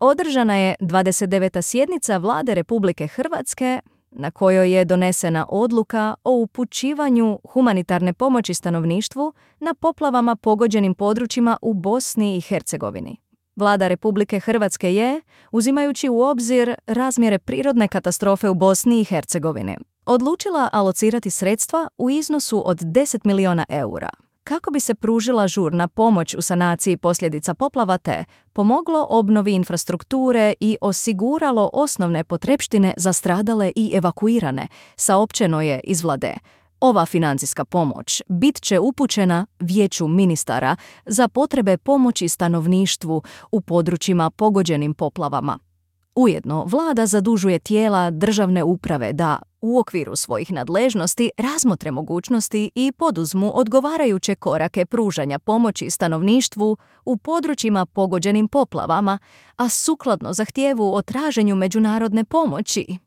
Održana je 29. sjednica Vlade Republike Hrvatske na kojoj je donesena odluka o upućivanju humanitarne pomoći stanovništvu na poplavama pogođenim područjima u Bosni i Hercegovini. Vlada Republike Hrvatske je, uzimajući u obzir razmjere prirodne katastrofe u Bosni i Hercegovini, odlučila alocirati sredstva u iznosu od 10 milijuna eura, kako bi se pružila žurna pomoć u sanaciji posljedica poplava te pomoglo obnovi infrastrukture i osiguralo osnovne potrepštine za stradale i evakuirane, saopćeno je iz Vlade. Ova financijska pomoć bit će upućena Vijeću ministara za potrebe pomoći stanovništvu u područjima pogođenim poplavama. Ujedno, Vlada zadužuje tijela državne uprave da, u okviru svojih nadležnosti, razmotre mogućnosti i poduzmu odgovarajuće korake pružanja pomoći stanovništvu u područjima pogođenim poplavama, a sukladno zahtjevu o traženju međunarodne pomoći.